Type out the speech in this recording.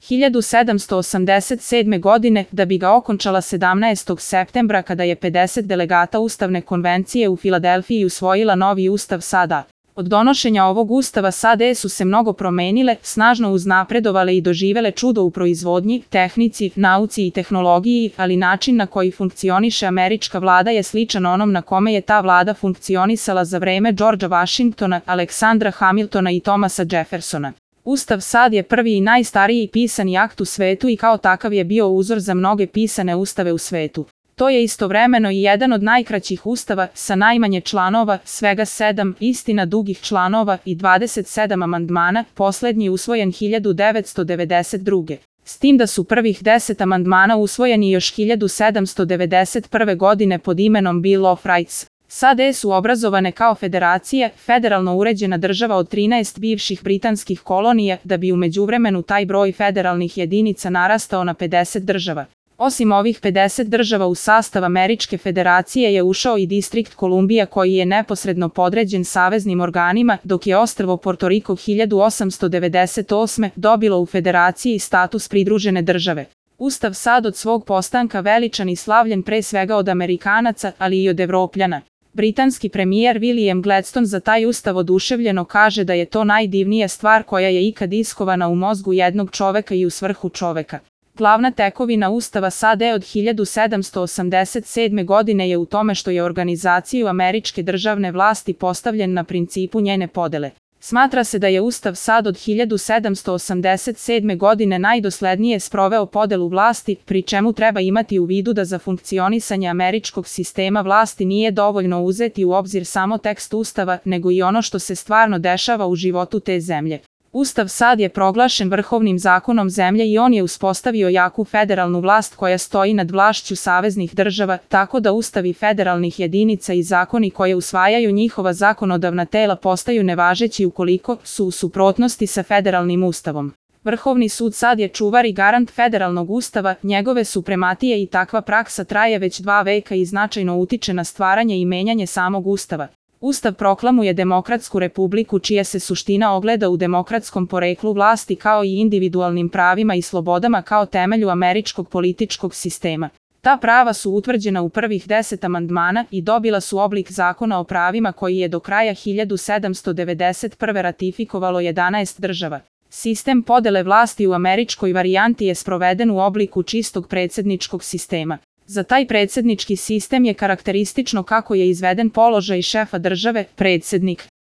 1787. godine, da bi ga okončala 17. septembra kada je 50 delegata Ustavne konvencije u Filadelfiji usvojila novi Ustav SAD-a. Od donošenja ovog ustava SAD su se mnogo promenile, snažno uznapredovale i doživele čudo u proizvodnji, tehnici, nauci i tehnologiji, ali način na koji funkcioniše američka vlada je sličan onom na kome je ta vlada funkcionisala za vreme Georgea Washingtona, Aleksandra Hamiltona i Thomasa Jeffersona. Ustav SAD je prvi i najstariji pisani akt u svetu i kao takav je bio uzor za mnoge pisane ustave u svetu. To je istovremeno i jedan od najkraćih ustava, sa najmanje članova, svega 7, istina dugih članova i 27 amandmana, poslednji usvojen 1992. S tim da su prvih 10 amandmana usvojeni još 1791. godine pod imenom Bill of Rights. SAD su obrazovane kao federacije, federalno uređena država od 13 bivših britanskih kolonija, da bi u međuvremenu taj broj federalnih jedinica narastao na 50 država. Osim ovih 50 država u sastav Američke federacije je ušao i Distrikt Kolumbija koji je neposredno podređen saveznim organima, dok je ostrvo Porto Riko 1898. dobilo u federaciji status pridružene države. Ustav SAD od svog postanka veličan i slavljen pre svega od Amerikanaca, ali i od Evropljana. Britanski premijer William Gladstone za taj ustav oduševljeno kaže da je to najdivnija stvar koja je ikad iskovana u mozgu jednog čoveka i u svrhu čoveka. Glavna tekovina Ustava SAD od 1787. godine je u tome što je organizaciju američke državne vlasti postavljen na principu njene podele. Smatra se da je Ustav SAD od 1787. godine najdoslednije sproveo podelu vlasti, pri čemu treba imati u vidu da za funkcionisanje američkog sistema vlasti nije dovoljno uzeti u obzir samo tekst Ustava, nego i ono što se stvarno dešava u životu te zemlje. Ustav SAD je proglašen vrhovnim zakonom zemlje i on je uspostavio jaku federalnu vlast koja stoji nad vlašću saveznih država, tako da ustavi federalnih jedinica i zakoni koje usvajaju njihova zakonodavna tela postaju nevažeći ukoliko su u suprotnosti sa federalnim ustavom. Vrhovni sud SAD je čuvar i garant federalnog ustava, njegove suprematije i takva praksa traje već 2 veka i značajno utiče na stvaranje i menjanje samog ustava. Ustav proklamuje demokratsku republiku čija se suština ogleda u demokratskom poreklu vlasti kao i individualnim pravima i slobodama kao temelju američkog političkog sistema. Ta prava su utvrđena u prvih 10 amandmana i dobila su oblik zakona o pravima koji je do kraja 1791. ratifikovalo 11 država. Sistem podele vlasti u američkoj varijanti je sproveden u obliku čistog predsjedničkog sistema. Za taj predsjednički sistem je karakteristično kako je izveden položaj šefa države, predsjednik.